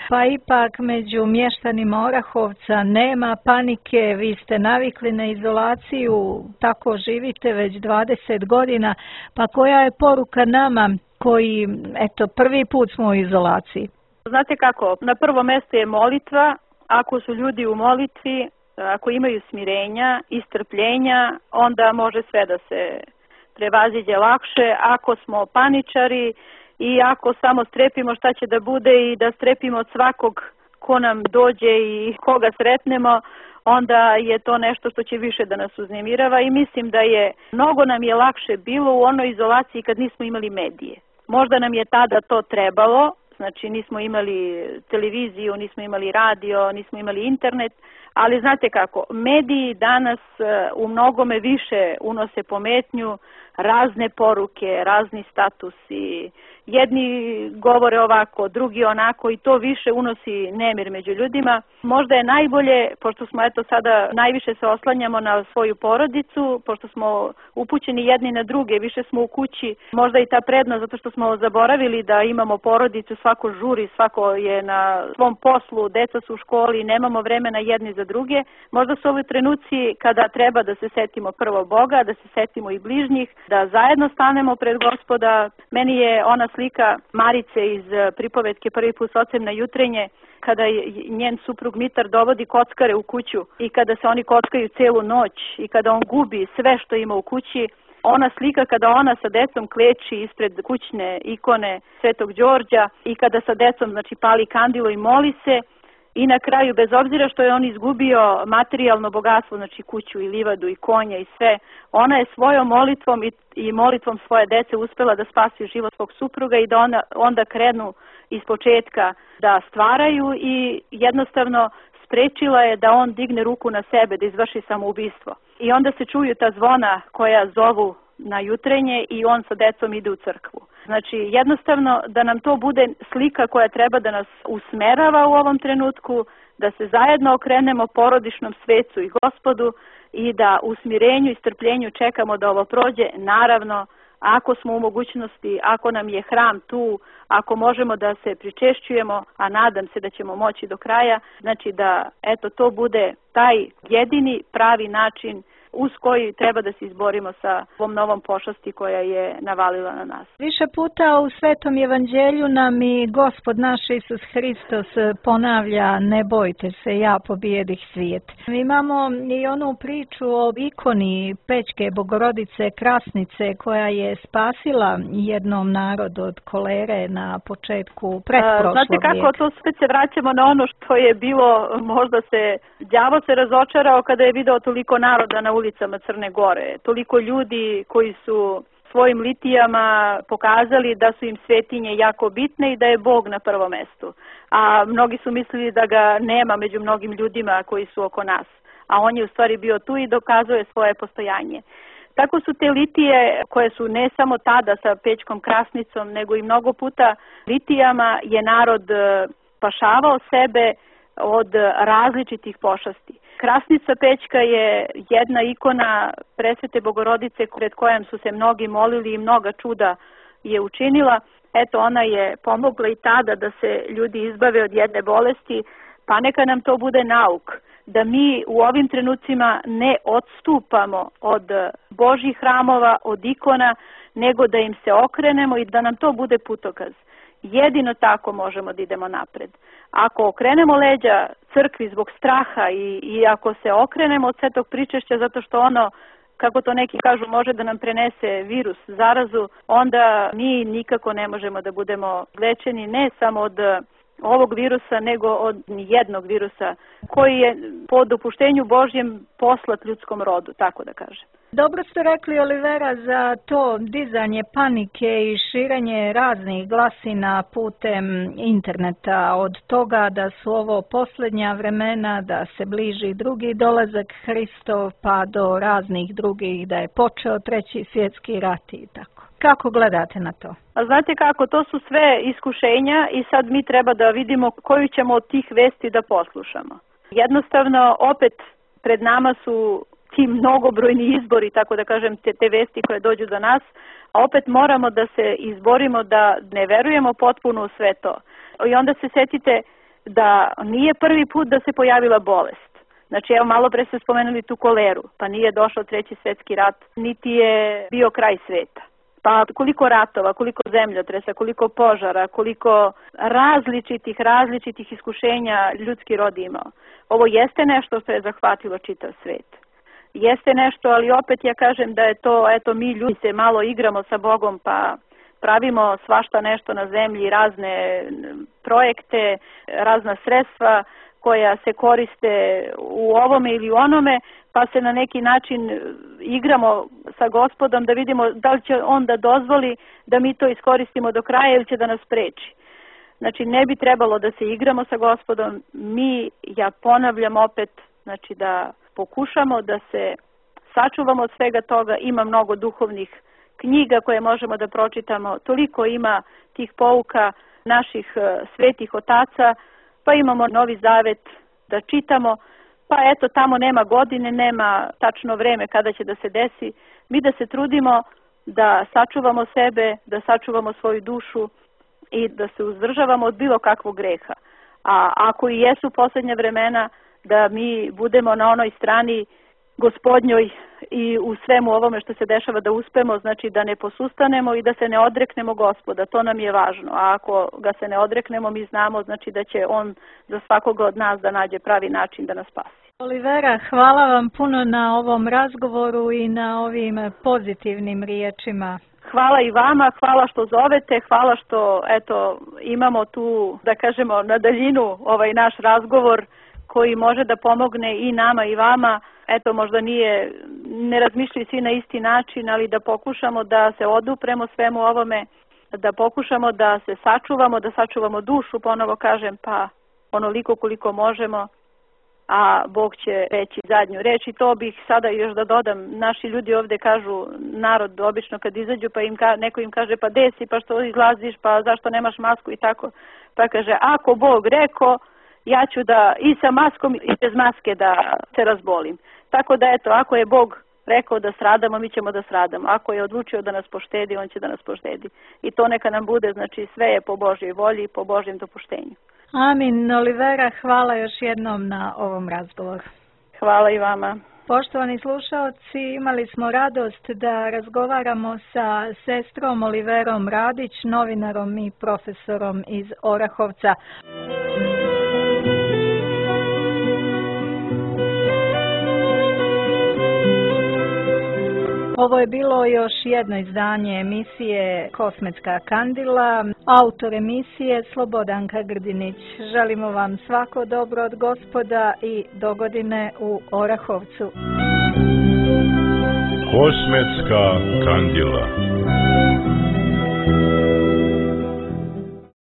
pa ipak među mještanima Orahovca nema panike, vi ste navikli na izolaciju, tako živite već dvadeset godina, pa koja je poruka nama koji, eto, prvi put smo u izolaciji? Znate kako, na prvo mjesto je molitva. Ako su ljudi u molitvi, ako imaju smirenja i strpljenja, onda može sve da se prevaziđe lakše. Ako smo paničari i ako samo strepimo šta će da bude i da strepimo od svakog ko nam dođe i koga sretnemo, onda je to nešto što će više da nas uznemirava i mislim da je, mnogo nam je lakše bilo u onoj izolaciji kad nismo imali medije. Možda nam je tada to trebalo, znači nismo imali televiziju, nismo imali radio, nismo imali internet, ali znate kako, mediji danas u mnogome više unose pometnju, razne poruke, razni statusi, jedni govore ovako, drugi onako i to više unosi nemir među ljudima. Možda je najbolje, pošto smo eto sada najviše se oslanjamo na svoju porodicu, pošto smo upućeni jedni na druge, više smo u kući, možda i ta prednost zato što smo zaboravili da imamo porodicu, svako žuri, svako je na svom poslu, deca su u školi, nemamo vremena jedni za druge. Možda su ovi trenuci kada treba da se setimo prvo Boga, da se setimo i bližnjih, da zajedno stanemo pred Gospoda. Meni je ona slika Marice iz pripovetke Prvi put s ocem na jutrenje, kada njen suprug Mitar dovodi kockare u kuću i kada se oni kockaju celu noć i kada on gubi sve što ima u kući. Ona slika kada ona sa decom kleči ispred kućne ikone Svetog Đorđa i kada sa decom, znači, pali kandilo i moli se. I na kraju, bez obzira što je on izgubio materijalno bogatstvo, znači kuću i livadu i konja i sve, ona je svojom molitvom i, i molitvom svoje dece uspela da spasi život svog supruga i da ona, onda krenu iz početka da stvaraju i jednostavno sprečila je da on digne ruku na sebe, da izvrši samoubistvo. I onda se čuju ta zvona koja zovu na jutrenje i on sa decom ide u crkvu. Znači, jednostavno da nam to bude slika koja treba da nas usmerava u ovom trenutku, da se zajedno okrenemo porodičnom svecu i Gospodu i da u smirenju i strpljenju čekamo da ovo prođe. Naravno, ako smo u mogućnosti, ako nam je hram tu, ako možemo da se pričešćujemo, a nadam se da ćemo moći do kraja, znači da eto to bude taj jedini pravi način uz koji treba da se izborimo sa ovom novom pošasti koja je navalila na nas. Više puta u Svetom evanđelju nam i Gospod naš Isus Hristos ponavlja: ne bojte se, ja pobjedih svijet. Imamo i onu priču o ikoni Pećke Bogorodice Krasnice koja je spasila jednom narodu od kolere na početku pretprošlog vijeka. Znate kako, to sve se vraćamo na ono što je bilo, možda se đavo se razočarao kada je video toliko naroda na ulicama Crne Gore, toliko ljudi koji su svojim litijama pokazali da su im svetinje jako bitne i da je Bog na prvom mestu. A mnogi su mislili da ga nema među mnogim ljudima koji su oko nas. A on je u stvari bio tu i dokazuje svoje postojanje. Tako su te litije koje su ne samo tada sa Pećkom Krasnicom, nego i mnogo puta litijama je narod spašavao sebe od različitih pošasti. Krasnica Pećka je jedna ikona Presvete Bogorodice pred kojom su se mnogi molili i mnoga čuda je učinila. Eto, ona je pomogla i tada da se ljudi izbave od jedne bolesti, pa neka nam to bude nauk, da mi u ovim trenucima ne odstupamo od Božjih hramova, od ikona, nego da im se okrenemo i da nam to bude putokaz. Jedino tako možemo da idemo napred. Ako okrenemo leđa crkvi zbog straha i, i ako se okrenemo od svetog pričešća zato što ono, kako to neki kažu, može da nam prenese virus, zarazu, onda mi nikako ne možemo da budemo lečeni ne samo od ovog virusa, nego od jednog virusa koji je po dopuštenju Božjem poslat ljudskom rodu, tako da kažem. Dobro ste rekli, Olivera, za to dizanje panike i širenje raznih glasina putem interneta, od toga da su ovo posljednja vremena, da se bliži drugi dolazak Hristov, pa do raznih drugih, da je počeo treći svjetski rat i tako. Kako gledate na to? A znate kako, to su sve iskušenja i sad mi treba da vidimo koju ćemo od tih vesti da poslušamo. Jednostavno, opet pred nama su ti mnogobrojni izbori, tako da kažem, te, te vesti koje dođu do nas, a opet moramo da se izborimo da ne verujemo potpuno u sve to. I onda se setite da nije prvi put da se pojavila bolest. Znači, evo, malo pre ste spomenuli tu koleru, pa nije došao treći svjetski rat, niti je bio kraj sveta. Pa koliko ratova, koliko zemljotresa, koliko požara, koliko različitih, različitih iskušenja ljudski rod imao. Ovo jeste nešto što je zahvatilo čitav svet. Jeste nešto, ali opet ja kažem da je to, eto, mi ljudi se malo igramo sa Bogom pa pravimo svašta nešto na zemlji, razne projekte, razna sredstva koja se koriste u ovome ili onome, pa se na neki način igramo sa Gospodom da vidimo da li će on da dozvoli da mi to iskoristimo do kraja ili će da nas spreči. Znači, ne bi trebalo da se igramo sa Gospodom. Mi, ja ponavljam opet, znači da pokušamo da se sačuvamo od svega toga. Ima mnogo duhovnih knjiga koje možemo da pročitamo. Toliko ima tih pouka naših svetih otaca, pa imamo Novi Zavet da čitamo. Pa eto, tamo nema godine, nema tačno vreme kada će da se desi. Mi da se trudimo da sačuvamo sebe, da sačuvamo svoju dušu i da se uzdržavamo od bilo kakvog greha. A ako i jesu posljednja vremena, da mi budemo na onoj strani Gospodnjoj i u svemu ovome što se dešava da uspemo, znači da ne posustanemo i da se ne odreknemo Gospoda, to nam je važno. A ako ga se ne odreknemo, mi znamo znači da će on za svakoga od nas da nađe pravi način da nas spasi. Olivera, hvala vam puno na ovom razgovoru i na ovim pozitivnim riječima. Hvala i vama, hvala što zovete, hvala što eto imamo tu, da kažemo, na daljinu ovaj naš razgovor koji može da pomogne i nama i vama. Eto, možda nije, ne razmišljaju svi na isti način, ali da pokušamo da se odupremo svemu ovome, da pokušamo da se sačuvamo, da sačuvamo dušu, ponovo kažem, pa onoliko koliko možemo, a Bog će reći zadnju reč. I to bih sada još da dodam, naši ljudi ovde kažu, narod obično kad izađu, pa im ka, neko im kaže pa desi, pa što izlaziš, pa zašto nemaš masku i tako. Pa kaže, ako Bog rekao, ja ću da i sa maskom i bez maske da se razbolim. Tako da eto, ako je Bog rekao da stradamo, mi ćemo da stradamo. Ako je odlučio da nas poštedi, on će da nas poštedi. I to neka nam bude, znači sve je po Božjoj volji i po Božjem dopuštenju. Amin. Olivera, hvala još jednom na ovom razgovoru. Hvala i vama. Poštovani slušalci, imali smo radost da razgovaramo sa sestrom Oliverom Radić, novinarom i profesorom iz Orahovca. Ovo je bilo još jedno izdanje emisije Kosmetska kandila. Autor emisije Slobodanka Grdinić. Želimo vam svako dobro od Gospoda i dogodine u Orahovcu. Kosmetska kandila.